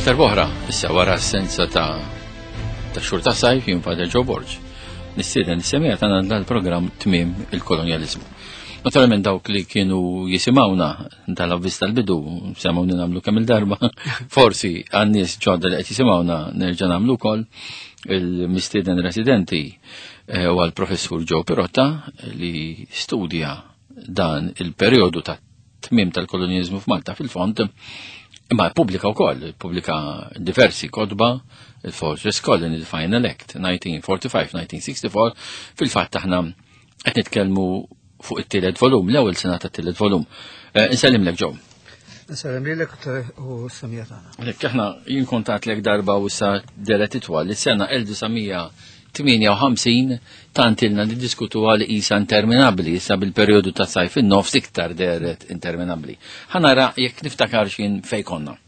Darb'oħra, issa wara assenza ta' ta' xhur ta' sajf jien Father Joe Borg. Nistieden is-semija tagħna dal-programm Tmiem il-Kolonjaliżmu. Naturalment dawk li kienu jisimgħuna tal-avviż tal-bidu, semgħuni nagħmlu kemm il-darba, forsi għan-nies ġodda li qed jisimgħuna nerġa' nagħmlu wkoll il-mistieden residenti eh, u għal-professur Joe Pirotta li studja dan il-perjodu ta' tmiem tal-kolonjaliżmu f'Malta fil-fond, imma pubblika wkoll, pubblika diversi kotba, il-Fortress Colony, the Final Act, 1945-1964, fil-fatt aħna qed nitkellmu fuq it-tielet volum, l-ewwel sena tat-tielet volum. Eh, insellimlek Joe. Insellem lilek u s-semija tagħna. Lek aħna jien kontat lek darba u sa deret itwal li sena 1958 tant ilna niddiskutu għal isa interminabbli, issa bil-perjodu ta' sajf in-nofs iktar deret interminabbli. Ħanara jekk niftakar xin fej konna.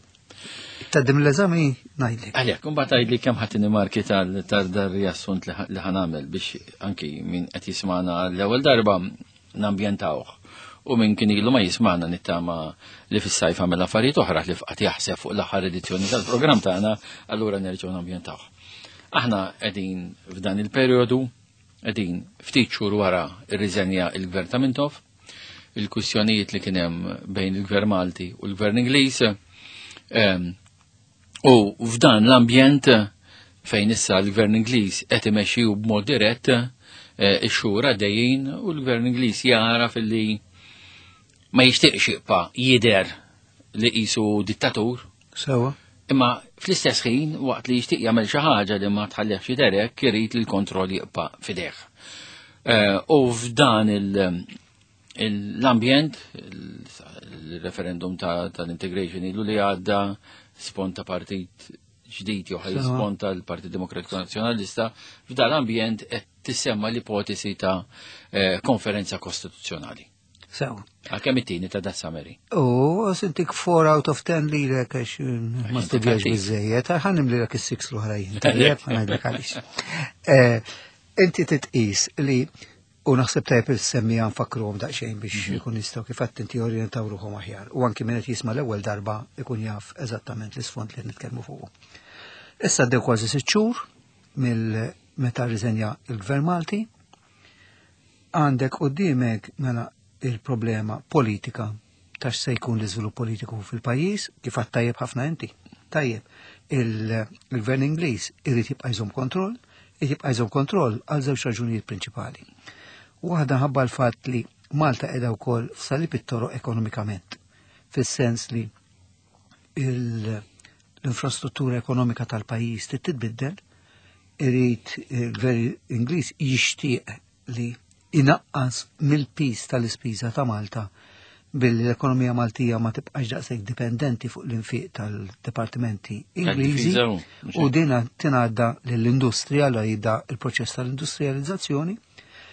Taddim l-eżami ngħidlek. Għalhekk, imbagħad għidli kemm ħadd marki tal-riassunt li ħanamel biex anki min qed jismana l-ewwel darba nambjentawh. U min kien ilu ma jismana nittama li fis-sajf għamel affarijiet oħra li fqat jaħseb fuq l-aħħar edizzjoni tal-programm tagħna, allura nerġgħu nambjentawh. Aħna qegħdin f'dan il-perjodu, qegħdin ftit xhur wara rriżenja il-Gvern ta' Mintoff, il-kwistjonijiet li kien hemm bejn il-Gvern Malti u l-Gvern Ingliż. Ehm, u f'dan l-ambjent fejn issa l-Gvern Ingliż qed imexxi b'mod dirett eh, ix-xhur għaddejjin u l-Gvern Ingliż jara filli ma jixtieqx jibqa' jidher li qisu dittatur. Sewa. Imma fl-istess ħin waqt li jixtieq jagħmel xi ħaġa li ma tħallihx jidher hekk irid li l-kontroll jibqa' fideh. Eh, u f'dan l-ambjent, il-referendum tal-integration ilu li għadda sponta partit ġdid jew ħaj sponta l-Partit Demokratiku Nazzjonalista, f'dan l-ambjent qed tissemma l-ipotesi ta' eh, konferenza kostituzzjonali. Sew. Għalkemm it-tieni ta' da summary. U sintik 4 out of 10 li lek għax mm, ma studjax biżejjed, ħanim li lek is-6 l-oħrajn. Tajjeb, ħanajdlek għaliex. Eh, inti titqis li u naħseb tajjeb il-semmija nfakruhom daqsxejn biex mhm. ikun jistgħu kif qed inti orjentaw ruħhom aħjar. U anki min qed jisma' l-ewwel darba ikun jaf eżattament l-isfond li nitkellmu fuqu. Issa għaddew kważi sitt xhur mill meta rriżenja il-Gvern Malti, Għandek quddiemek mela il-problema politika ta' x'se jkun l-iżvilupp politiku fil-pajjiż, kif għad tajjeb ħafna inti. Tajjeb, il-gvern Ingliż irid jibqa' jżomm kontroll, irid jibqa' jżomm kontroll għal żewġ raġunijiet prinċipali. Waħda ħabba l-fatt li Malta qiegħda wkoll f'salib it-toroq ekonomikament, fis-sens li l-infrastruttura ekonomika tal-pajjiż trid titbiddel, irid il-gvern Ingliż jixtieq li inaqqas mill-piż tal-ispiża ta' Malta billi l-ekonomija Maltija ma tibqax daqshekk dipendenti fuq l-infiq tal-dipartimenti Ingliżi u dina tingħadda lill-industrija li jibda il-proċess tal-industrializzazzjoni.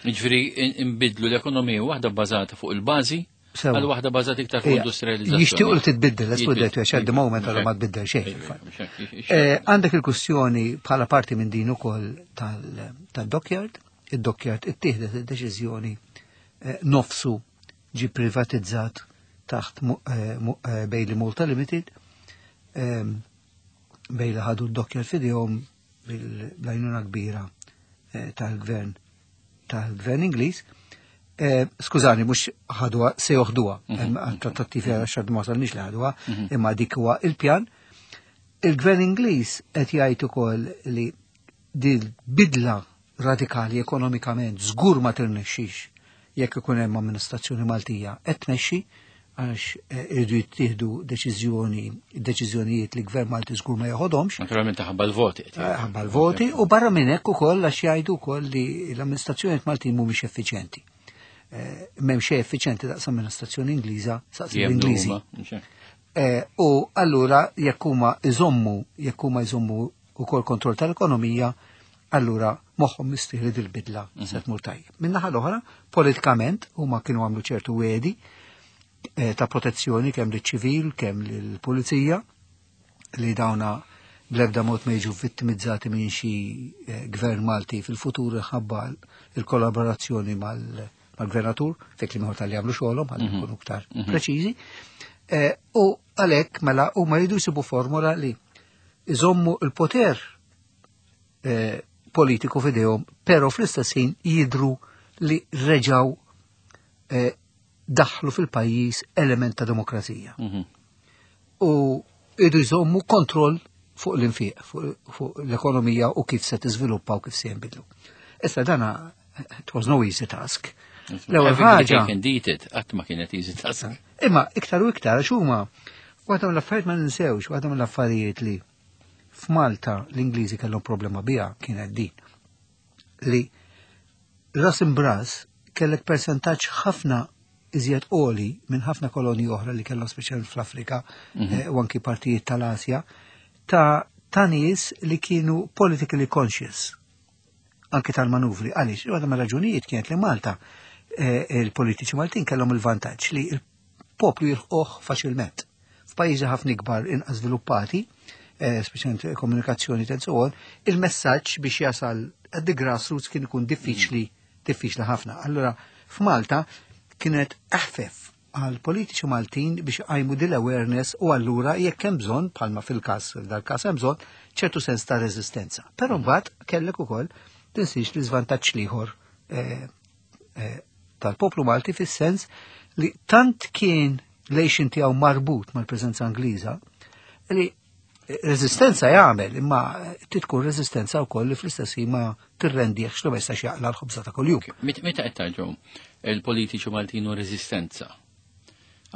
Jiġifieri nbidlu l-ekonomija waħda bbażata fuq il-bażi Għal waħda bażat iktar fuq industrializzazzjoni. Jixtiequ li titbiddel, let's put that way, at the moment għal ma tbiddel xejn. Eh, għandek il-kwistjoni bħala parti minn din ukoll tal-dockyard, id-dockyard ittieħdet id-deċiżjoni eh, nofsu ġi privatizzat taħt eh, Bailey Malta Limited, ehm, Bailey ħadu d-dockyard fidejhom bil-għajnuna kbira tal-gvern tal-gvern Ingliż, eh, skużani, mhux ħadwa se joħduha, mhm. trattattivi għal xad ma wasalniex li ħadwa, mhm. imma dik huwa il-pjan. Il-gvern Ingliż qed jgħid ukoll li din bidla radikali ekonomikament żgur ma tirnexxix jekk ikun hemm amministrazzjoni Maltija qed tmexxi għax eh, irridu jittieħdu deċiżjoni, deċiżjonijiet li gvern Malti żgur ma joħodhomx. Naturalment ħabba l-voti. Eh, ħabba l-voti u barra minn hekk ukoll għax jgħidu wkoll li l-amministrazzjonijiet Maltin mhumiex effiċjenti. Eh, m'hemm xejn effiċjenti daqs amministrazzjoni Ingliża saqs l-Ingliżi. U allura jekk huma iżommu, jekk huma jżommu ukoll kontroll tal-ekonomija, allura moħħhom mistrieħ li dil-bidla mhm. se tmur tajjeb. Min-naħa l-oħra, politikament huma kienu għamlu ċertu wedi eh, ta' protezzjoni kemm liċ-ċivil, kemm lill-pulizija li dawna bl-ebda mod ma jiġu vittimizzati minn xi eh, gvern Malti fil-futur ħabba il-kollaborazzjoni mal-gvernatur, fek li tal-li għamlu xogħolhom ħalli mhm. nkunu iktar mhm. preċiżi. Eh, u għalhekk mela huma jridu jsibu formula li Iżommu il-poter politiku f'idejhom, però fl-istess ħin jidru li reġaw daħlu fil-pajjiż element ta' demokrazija. U idu jżommu kontroll fuq l-infiq, fuq l-ekonomija u kif se tiżviluppa u kif se jinbidlu. Issa dana, it was no easy task. L-ewwel ħaġa. Qatt ma kienet easy task. Imma iktar u iktar għax huma waħda mill-affarijiet ma ninsewx, waħda mill-affarijiet li f'Malta l-Ingliżi kellhom problema biha kienet din. Li ras imbras kellek persentaġġ ħafna iżjed għoli minn ħafna kolonji oħra li kellhom speċjalment fl-Afrika u anki partijiet tal-Asja ta' nies li kienu politically conscious anki tal-manuvri. Għaliex, waħda mir-raġunijiet kienet li Malta il-politiċi Maltin kellhom il-vantaġġ li il-poplu jilħquh faċilment. F'pajjiżi ħafna ikbar inqas żviluppati, speċjalment komunikazzjoni and so on, il-messaġġ biex jasal at the grassroots kien ikun diffiċli, diffiċli ħafna. Allura, f'Malta kienet eħfef għal politiċi Maltin biex għajmu dil awareness u allura jekk hemm bżonn, bħalma fil-każ, dal-każ hemm bżonn, ċertu sens ta' reżistenza. Però mbagħad kellek ukoll tinsiex li żvantaġġ l-ieħor tal-poplu Malti fis-sens li tant kien l-għixien tiegħu marbut mal-preżenza Ingliża li reżistenza jagħmel, imma titkun reżistenza wkoll li fl-istess ħin ma tirrendiex li ma jistax jaqla l-ħobża ta' kuljum. Meta qed tgħidu il-politiċi Maltin u reżistenza?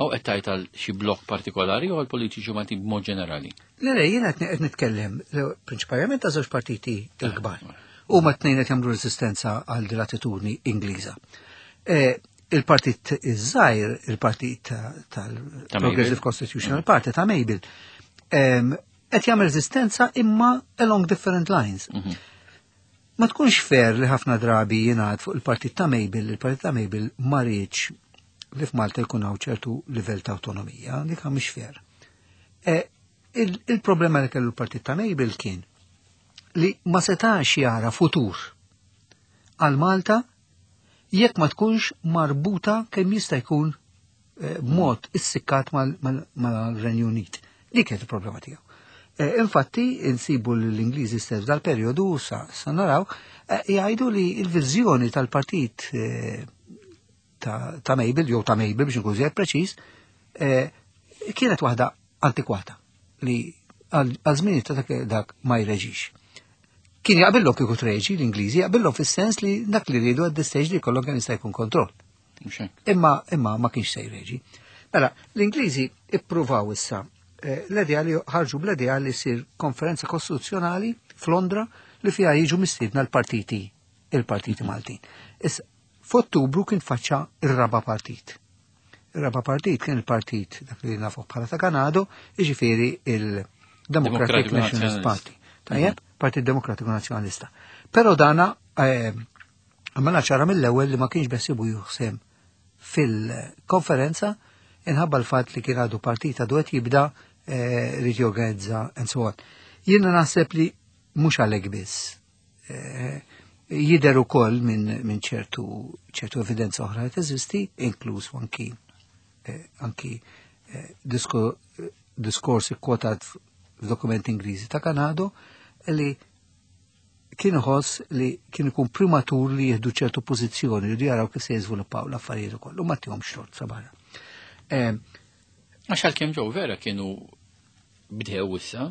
Aw qed tgħid għal xi blok partikolari jew għall-politiċi Maltin b'mod ġenerali? Le, jiena qed nitkellem prinċipalment ta' żewġ partiti l-kbar. Huma tnejn qed jagħmlu reżistenza għal din l-attitudni Ingliża. Il-partit iż-żgħir, il-partit tal-Progressive Constitutional Party ta' Mabel, qed jagħmel reżistenza imma along different lines. Ma tkunx fair li ħafna drabi jingħad fuq il-partit ta' Mabel, il-partit ta' Mabel ma riedx li f'Malta jkun hawn ċertu livell ta' autonomija, dik mhix fair. Il-problema li kellu l-partit ta' Mabel kien li ma setax jara futur għal Malta jekk ma tkunx marbuta kemm jista' jkun b'mod issikkat mal-Renju Unit. Dik kienet il-problema tiegħu. Infatti, insibu l-Ingliżi stess dal-perjodu sa naraw, jgħidu li l-viżjoni tal-partit ta' Mabel, jew ta' Mabel biex nkun żjed preċiż, kienet waħda antikwata li għal żmien ta' dak ma jreġix. Kien jaqbillhom kieku treġi l-Ingliżi, jaqbillhom fis-sens li dak li rridu għad stage li jkollhom kemm jista' jkun kontroll. Imma ma kienx se jreġi. Mela, l-Ingliżi ippruvaw issa l-idea li ħarġu bl-idea li ssir konferenza kostituzzjonali f'Londra li fiha jiġu mistiedna il-partiti Maltin. Issa, f'Ottubru kien faċċa ir-raba' partit. Ir-raba' partit kien il-partit dak li nafu bħala ta' Ganado, jiġifieri il-Democratic Nationalist Party. Tajjeb, Partit Demokratiku Nazzjonalista. Però dana għamela ċara mill-ewwel li ma kienx beħsiebu juħsem fil-konferenza inħabba l-fatt li kien għadu partit għadu qed jibda rid jorganizza and so on. Jiena naħseb li mhux għalhekk biss. Jidher ukoll minn ċertu evidenza oħra li teżisti, inkluż anki diskors ikkwotat f'dokumenti Ingliżi ta' Ganado li kien iħoss li kien ikun prematur li jieħdu ċertu pożizzjoni li jaraw kif se jiżviluppaw l-affarijiet ukoll u ma tihomx tort sabara. Għax għalkemm ġew vera kienu bdew issa,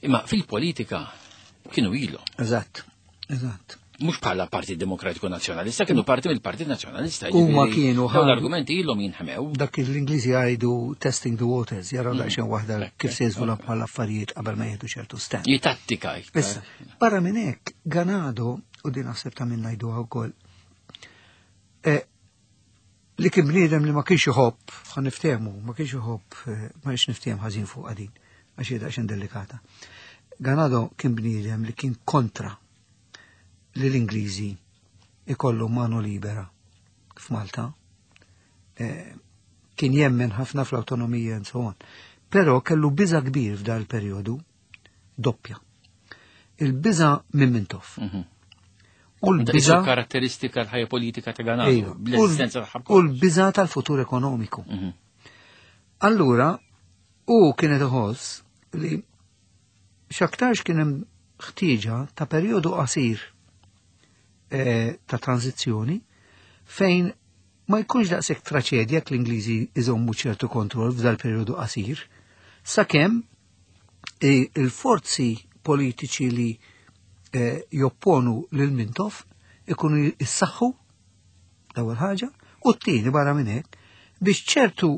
imma fil-politika kienu ilu. Eżatt, eżatt. Mhux bħala Partit Demokratiku Nazzjonalista, kienu parti mill-Partit Nazzjonalista. Huma kienu dawn l-argumenti ilhom jinħmew. Dak l-Ingliżi jgħidu testing the waters, jaraw daqsxejn waħda kif se jiżviluppaw l-affarijiet qabel ma jieħdu ċertu stand. Jitattika iktar. Issa, barra minn hekk, Ganado, u din naħseb ta' minn ngħiduha wkoll, li kien bniedem li ma kienx iħobb, ħa niftehmu, ma kienx iħobb, ma kienx niftehmu ħażin fuq din, għax hi daqsxejn delikata. Ganado kien bniedem li kien kontra li l-Ingliżi ikollu mano libera f'Malta. Kien jemmen ħafna fl-autonomija and so on. Però kellu biża kbir f'dal il-perjodu doppja. Il-biża minn Mintoff. U l-biża karatteristika l-ħajja politika ta' Ganado, bl-eżistenza tagħha. U l-biża tal-futur ekonomiku. Allura, u kienet iħoss li X'aktarx kien hemm ħtieġa ta' perjodu qasir eh, ta' tranzizzjoni fejn ma jkunx daqshekk traċedja jekk l-Ingliżi iżommu ċertu kontroll f'dal perjodu qasir, sakemm eh, il-forzi politiċi li eh, jopponu lil Mintoff ikunu jissaħħu l-ewwel ħaġa, u t-tieni barra minn hekk biex ċertu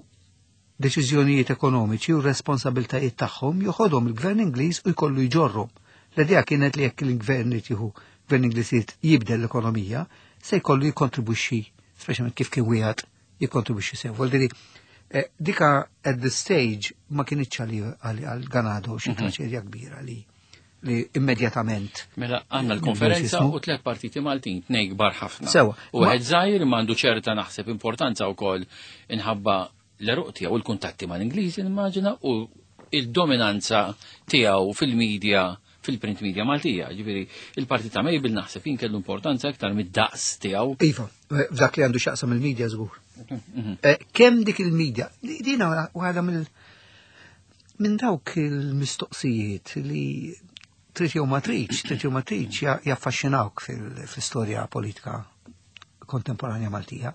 deċiżjonijiet ekonomiċi u responsabiltajiet tagħhom joħodhom il-Gvern Ingliż u jkollu jġorrhom. L-idea kienet li jekk il-Gvern irid jieħu Gvern Ingliż irid jibdel l-ekonomija, se jkollu jikkontribwixxi, speċjalment kif kien wieħed jikkontribwixxi sew. Vuol dire, eh, dika at the stage ma kienitx għal Ganado xi traċedja kbira li li immedjatament. Mela għandna l-konferenza u tlet partiti Maltin, tnej kbar ħafna. Sewa. U għed żgħir m'għandu ċerta naħseb importanza wkoll inħabba l-eruq tiegħu l-kuntatti mal-Ingliżi nimmaġina u il-dominanza tiegħu fil-medja fil-print media Maltija. Ġifieri il-partit ta' Mabel naħseb jien kellu importanza iktar mid-daqs tiegħu. Iva, f'dak li għandu x'jaqsam il-media żgur. Eh, kemm dik il-media, dina waħda mill minn dawk il-mistoqsijiet li trid jew ma tridx, trid jew ma tridx jaffaxxinawk fil-istorja politika kontemporanja Maltija.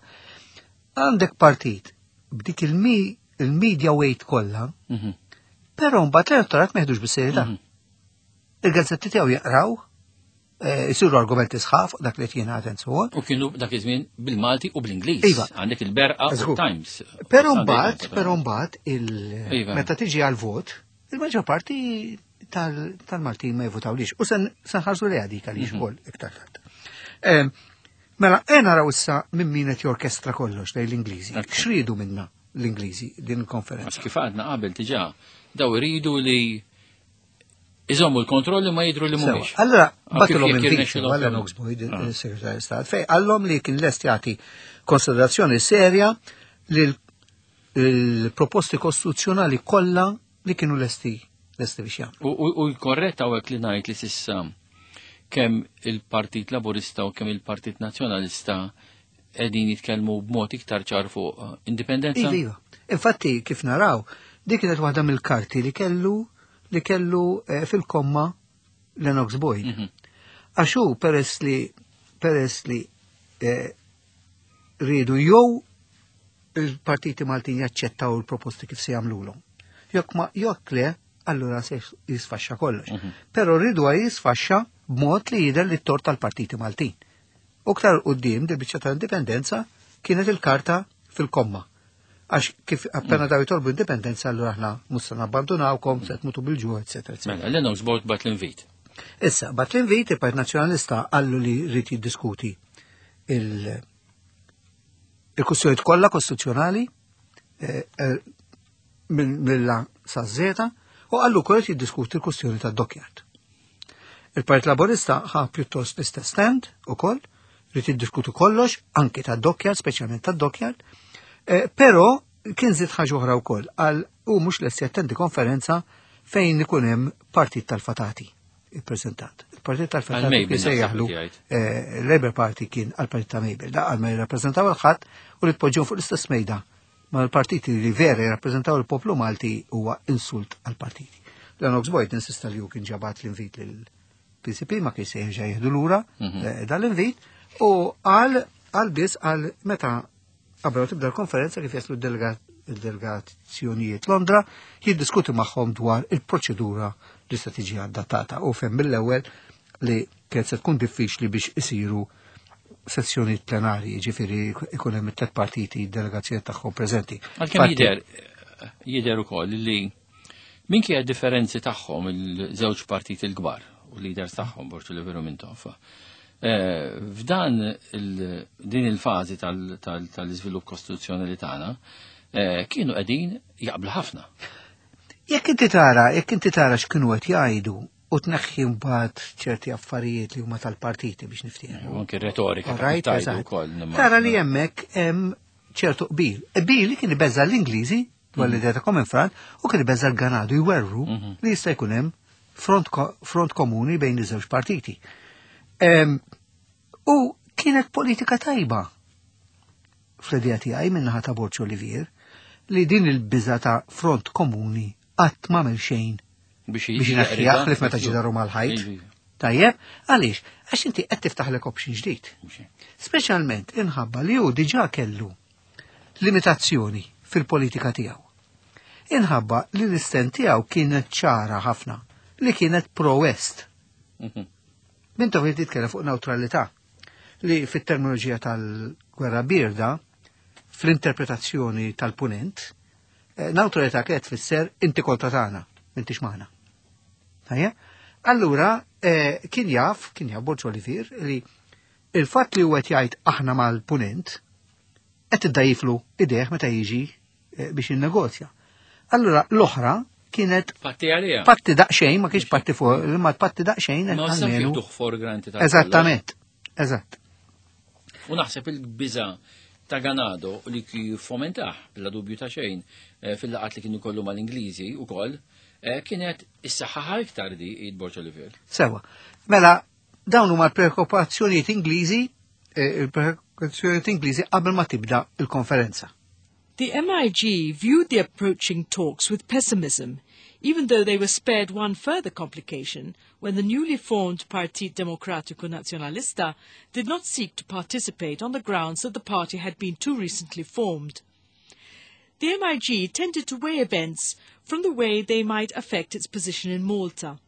Għandek partit b'dik il-media weight kollha, però mbagħad l-elettorat ma jeħdux bis-serjetà. Il-gazzetti tiegħu jaqraw, eh, jisiru argumenti sħaf dak li jingħad and so on. U kienu dak iż-żmien bil-Malti u bl-Ingliż. Iva. Għandek il-Berqa u Times. Però mbagħad, però mbagħad il Iva. meta tiġi għal-vot, il-maġġor parti tal-Maltin ma jivutawlix. U sen nħarsu li għadik għaliex ukoll iktar tard. Em, Mela, e naraw issa minn min qed jorkestra kollox lejn l-Ingliżi. X'ridu minna l-Ingliżi din il-konferenza? Għax kif għadna qabel diġà, daw iridu li iżommu l-kontrolli ma jidru li mhumiex. Allora, Ah, kif batilhom jekk invit jirnexxilhom għal jagħmlu. Lennox Boyd, Ah. il-Segretarju Stat, fej għallhom li kien lest jagħti konsiderazzjoni serja lil il-proposti kostituzzjonali kollha li kienu lesti lesti biex jagħmlu. U korretta u li ngħid li sissa kemm il-Partit Laburista u kemm il-Partit Nazzjonalista qegħdin jitkellmu b'mod iktar ċar fuq eh, indipendenza. Iva, iva. Infatti, kif naraw, dik kienet waħda mill-karti li kellu li kellu eh, fil-komma Lennox Boyd. Għax hu peress li peress li eh, rridu jew il-partiti Maltin jaċċettaw il-proposti kif se jagħmlulhom. Jekk ma jekk le, allura se jisfaxxa kollox. Però rridu jisfaxxa b'mod li jidher li t-tort tal-partiti Maltin. U ktar quddiem di biċċa tal-indipendenza kienet il-karta fil-komma. Għax kif appena daw jitolbu indipendenza allura aħna mhux se nabbandunawkom, se tmutu bil-ġuħ, eccetera, eccetera. Mela, Lennox Boyd bat l-invit. Issa, bat l-invit il-Partit Nazzjonalista għallu li rrid jiddiskuti il- il-kwistjonijiet kollha kostituzzjonali eh, eh, mill-A sa Z u għallu wkoll qed jiddiskuti l-kwistjoni tad-dockyard. Il-Partit Laburista ħa pjuttost l-istess stand ukoll, rrid jiddiskutu kollox, anki tad-dockyard, speċjalment tad-dockyard, eh, però kien żied ħaġa oħra wkoll għal u mhux lest jattendi konferenza fejn ikun hemm partit tal-fatati ippreżentat. Il-partit tal-fatati Għal Mabel kien se naħseb jaħlu li jgħid. eh, Labour Party kien għal-partit ta' Mabel, da għal ma jirrappreżentaw il-ħadd u li tpoġġew fuq l-istess mejda ma l-partiti li vera jirrappreżentaw il-poplu Malti huwa insult għal-partiti. Lennox Boyd insista li hu kien ġabat l-invit lil-PCP ma kien se jerġa' jieħdu lura eh, dal-invit u għal għal biss għal meta qabel ma tibda l-konferenza kif jaslu d-delegazzjonijiet Londra jiddiskuti magħhom dwar il-proċedura li se tiġi adattata u fem mill-ewwel li kienet se tkun diffiċli biex isiru sessjoni plenarji, ġifieri ikun hemm it-tlet partiti delegazzjoni tagħhom preżenti. Għalkemm Infatti- jidher jidher ukoll li minkejja differenzi tagħhom il-żewġ partiti l-kbar u leaders tagħhom Borg Olivier u Mintoff. eh, F'dan il- din il-fażi tal-iżvilupp kostituzzjonali tagħna eh, kienu qegħdin jaqblu ħafna. Jekk inti tara, jekk inti tara x'kienu qed jgħidu u tneħħi mbagħad ċerti affarijiet li huma tal-partiti biex niftehmu. U anke retorika All right, tajdu eżatt. wkoll. nimma- Tara li hemmhekk hemm ċertu qbil. Qbil li kien ibeżza l-Ingliżi dwar l-idea ta' Common Front u kien ibeżza l-Ganadu jwerru li jista' jkun hemm front, ko- front komuni bejn iż-żewġ partiti. Em, U kienet politika tajba fl-idea tiegħi min-naħa ta' Borg Olivier li din il-biża ta' front komuni qatt m'għamel xejn Biex biex inaħħiha ħlief meta ġidaru mal-ħajt. Iva, iva. Tajjeb, għaliex? Għax inti qed tiftaħlek option ġdid. Mhux hekk. Speċjalment inħabba li hu diġà kellu limitazzjoni fil-politika tiegħu. Inħabba li l-isten tiegħu kienet ċara ħafna li kienet pro-West. Mintoff li titkellem fuq neutralità li fit-terminoloġija tal-gwerra birda, fl-interpretazzjoni tal-punent, neutralità kienet tfisser inti kontra tagħna, m'intix magħna. Tajja? Allura, kien jaf Borg Olivier li il-fatt li huwa qed jgħid aħna mal-punent qed iddajflu idejh meta jiġi biex jinnegozja. Allura l-oħra kienet Patti għalija. patti daqsxejn, ma kienx patti fuq, ma patti daqsxejn Ma sa almenu. jieħduh for granted. għal Eżattament, eżatt. kollox. U naħseb il-biża ta' Ganado li fomentaħ bla dubju ta' xejn fil-laqat li kienu kollu mal-Ingliżi u koll, kienet is-saħħa iktar di id Borg Olivier. Sewa. Mela, dawn huma l-preokkupazzjonijiet Ingliżi, il-preokkupazzjonijiet Ingliżi qabel ma tibda il-konferenza. The MIG viewed the approaching talks with pessimism, even though they were spared one further complication when the newly formed Partit Democratico Nazionalista did not seek to participate on the grounds that the party had been too recently formed. The MIG tended to weigh events from the way they might affect its position in Malta.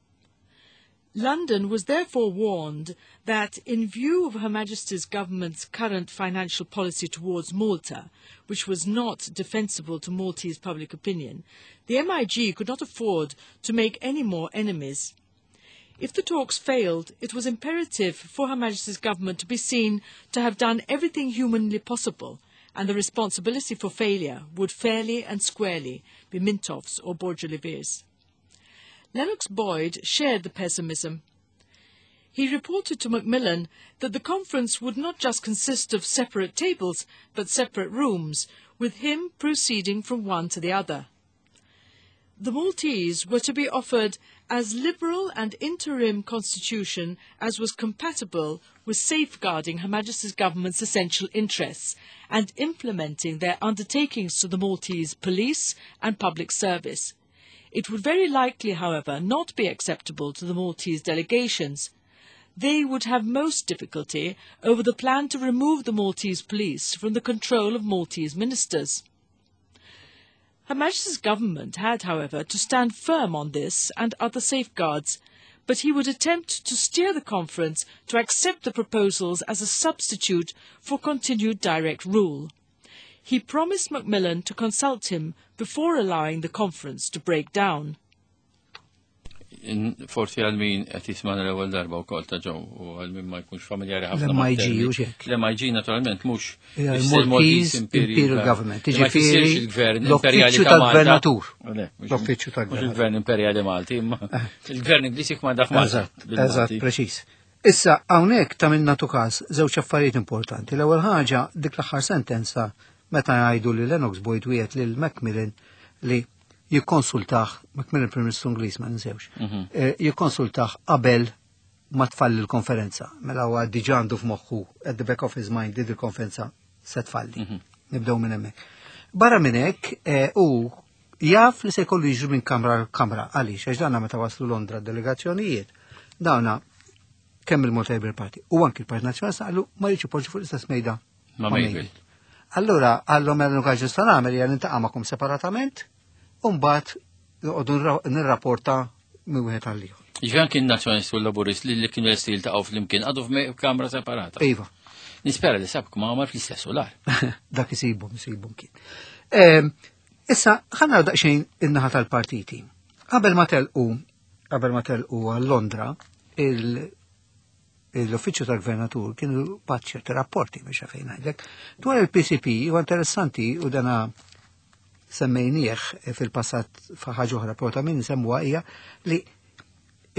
London was therefore warned that, in view of Her Majesty's government's current financial policy towards Malta, which was not defensible to Maltese public opinion, the MIG could not afford to make any more enemies. If the talks failed, it was imperative for Her Majesty's government to be seen to have done everything humanly possible, and the responsibility for failure would fairly and squarely be Mintoff's or Borg Olivier's. Lennox Boyd shared the pessimism. He reported to Macmillan that the conference would not just consist of separate tables, but separate rooms, with him proceeding from one to the other. The Maltese were to be offered as liberal and interim constitution as was compatible with safeguarding Her Majesty's government's essential interests and implementing their undertakings to the Maltese police and public service. It would very likely, however, not be acceptable to the Maltese delegations. They would have most difficulty over the plan to remove the Maltese police from the control of Maltese ministers. Her Majesty's government had, however, to stand firm on this and other safeguards, but he would attempt to steer the conference to accept the proposals as a substitute for continued direct rule. He promised Macmillan to consult him before allowing the conference to break down. Forsi għal min qed jismana l-ewwel darba wkoll ta' ġew u għal min ma jkunx familjari ħafna. L-MIG u xek. L-MIG naturalment mhux il-Maltese Imperial Government. Jiġifieri Jiġifieri il-Gvern Imperjali l-Uffiċċju ta' Malta. tal-Gvernatur. Le, mhux- L-Uffiċċju Mhux tal-Gvernatur. il-Gvern Imperjali Malti, imma il-Gvern Ingliż jikmanda f'Malta. Eżatt, bil-Malti. eżatt, preċiż. Issa, hawnhekk ta' minna tu każ żewġ affarijiet importanti. L-ewwel ħaġa dik l-aħħar sentenza meta jgħidu li Lennox Boyd wiegħed lil Macmillan li jikkonsultaħ, Macmillan Prim Ministru Ingliż ma ninsewx, jikkonsultaħ qabel ma tfalli l-konferenza. Mela huwa diġà għandu f'moħħu at the back of his mind li il-konferenza se tfalli. Nibdew minn hemmhekk. Barra minn hekk u jaf li se jkollu jiġru minn kamra għal kamra. Għaliex, għax dana meta waslu Londra delegazzjonijiet, dawna kemm il-Malta Labour Party u anki il-Partit Nazzjonalista qalu ma jridx ipoġġi fuq l-istess mejda Ma' ma' Mabel. Mabel. Allura, għallhom mela l-unika ġusta nagħmel hija niltaqa' magħkom separatament u mbagħad noqogħdu nirrapporta minn wieħed għal ieħor. Ġifieri anki n-Nazzjonalist u l-Laburist li kienu lesti jiltaqgħu flimkien għadu f'kamra separata. Iva. Nispera li sab kmamar fl-istess solar. Dak isibhom kien. Issa, ħa naraw daqsxejn in-naħa tal-partiti. Qabel ma telqu għal Londra, l-uffiċċju tal-gvernatur kienu bagħat ċerti rapporti biex fejn ngħidlek. Dwar il-PCP huwa interessanti u dana semmejnieh fil-passat f'ħaġa oħra, però ta' min semmuha hija li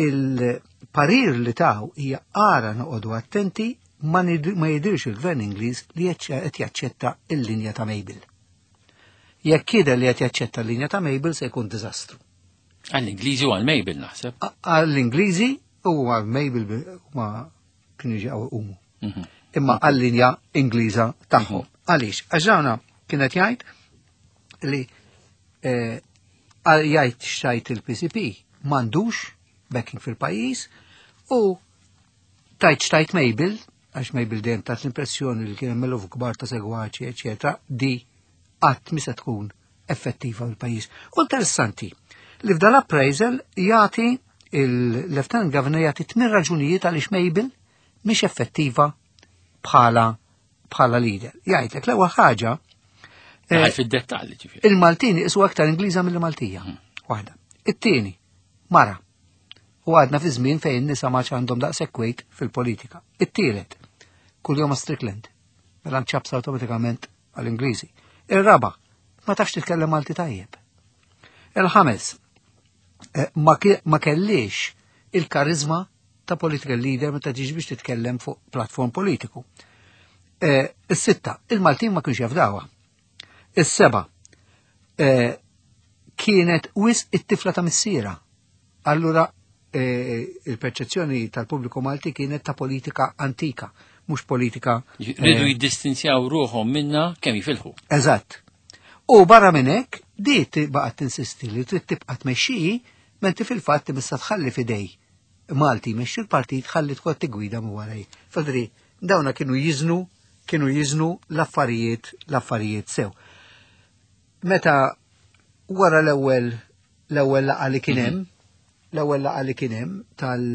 il-parir li taw hija ara noqogħdu attenti ma jidirx il-gvern Ingliż li qed jaċċetta il-linja ta' Mabel. Jekk jidher li qed jaċċetta l-linja ta' Mabel se jkun diżastru. Għall-Ingliżi u għal-Mabel naħseb. Għall-Ingliżi u għal Mabel ma kienu ġew umu. Imma għall-linja Ingliża tagħhom. Għaliex? Għax dawna kienet jgħid li jgħid xtajt il-PCP. M'għandux backing fil-pajjiż u tajt xtajt Mabel, għax Mabel dejjem tat l-impressjoni li kien hemm eluf kbar ta' segwaċi, eċetera, di qatt mi se tkun effettiva fil-pajjiż. U interessanti li f'dan l-appraisal jagħti il-Lieutenant Governor jagħti tmien raġunijiet għaliex Mabel mhix effettiva bħala bħala leader. Jgħidlek l-ewwel ħaġa fid-dettalji ġifieri. Il-Maltin isu aktar Ingliża mill-Maltija. Waħda. It-tieni, mara. U għadna fi żmien fejn nisa ma għandhom daqshekk weight fil-politika. It-tielet, kuljum Strickland. Mela nċabsa awtomatikament għall-Ingliżi. Ir-raba, ma tafx titkellem Malti tajjeb. Il-ħames, ma kellix il-karizma ta' political leader meta tiġi biex titkellem fuq platform politiku. Is-sitta, il-Maltin ma kienx jafdawha. Is-seba, kienet wisq it-tifla ta' missiera. Allura il-perċezzjoni tal-pubbliku Malti kienet ta' politika antika, mhux politika. Ridu jiddistinzjaw ruħhom minna kemm jifilħu. Eżatt. U barra minn hekk, di baqgħet tinsisti li trid tibqa' tmexxi, mentri fil-fatt imissa tħalli f'idej Malti jmexxi l-partit ħalli tkun tigwida minn waraj. Fadri, dawna kienu jiżnu, kienu jiżnu l-affarijiet, l-affarijiet sew. Meta wara l-ewwel l-ewwel laqgħa li kien hemm, l-ewwel laqgħa li kien hemm tal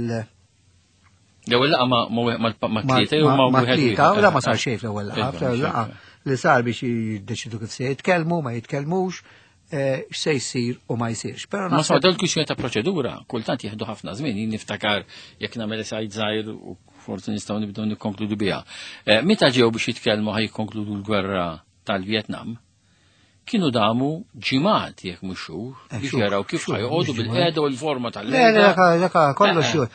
L-ewwel laqgħa ma tlieta jew ma wieħed tlieta, la ma sar xejn fl-ewwel laqgħa, fl-ewwel laqgħa li sar biex jiddeċidu kif se jitkellmu, ma jitkellmux, x'se jsir u ma jsirx. Però ma sa dal kwistjoni ta' proċedura, kultant jieħdu ħafna żmien, jien niftakar jekk nagħmel sajd żgħir u forsi nistgħu nibdew nikkonkludu biha. Meta ġew biex jitkellmu ħaj jikkonkludu l-gwerra tal-Vjetnam, kienu damu ġimgħat jekk mhux xhur biex jaraw kif ħajqogħdu bil-qiegħda u l-forma tal Le, le, kollox xhur.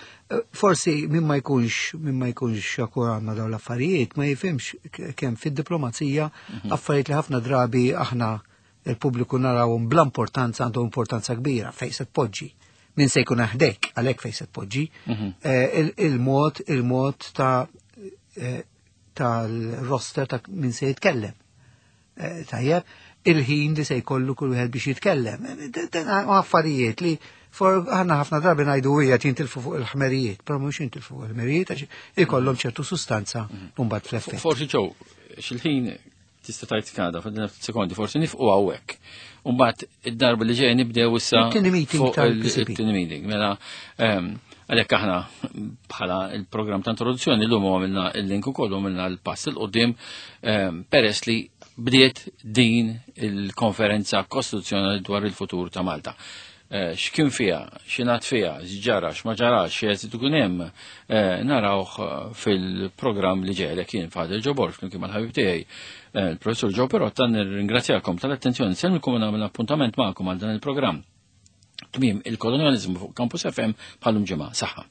Forsi min ma jkunx min ma jkunx akkurat ma' dawn l-affarijiet ma jifhimx kemm fid-diplomazija affarijiet li ħafna drabi aħna il-pubbliku narawhom bla importanza għandhom importanza kbira fejn se tpoġġi. Min se jkun ħdejk għalhekk fejn se tpoġġi. Il-mod il-mod ta' tal-roster ta' min se jitkellem. Tajjeb, il-ħin li se jkollu kull wieħed biex jitkellem. Affarijiet li for aħna ħafna drabi ngħidu hija jintilfu fuq il-ħmerijiet, però mhux jintilfu fuq il-ħmerijiet għax ikollhom ċertu sustanza mbagħad fl-effett. Forsi ġew, xil-ħin tista' tgħid kada f'din sekondi forsi nifqu hawnhekk. U mbagħad id-darba li ġej nibdew issa it-tieni meeting tal-PCP. It-tieni meeting. Mela għalhekk aħna bħala il-programm ta' introduzzjoni llum għamilna il-link ukoll għamilna l-pass il qudiem peress li bdiet din il-konferenza kostituzzjonali dwar il-futur ta' Malta. X'kien fiha, x'ingħad fiha, x'ġara, x'ma ġarax, x'eżitu ikun hemm, narawh fil-programm li ġej għalhekk jien Father Joe Borg flimkien mal-ħabib tiegħi il-Professur Joe Perotta nirringrazzjakom tal-attenzjoni nsellmilkom u nagħmel appuntament magħkom għal dan il-programm. Tmiem il-kolonjaliżmu fuq Campus FM bħalum ġimgħa. Saħħa.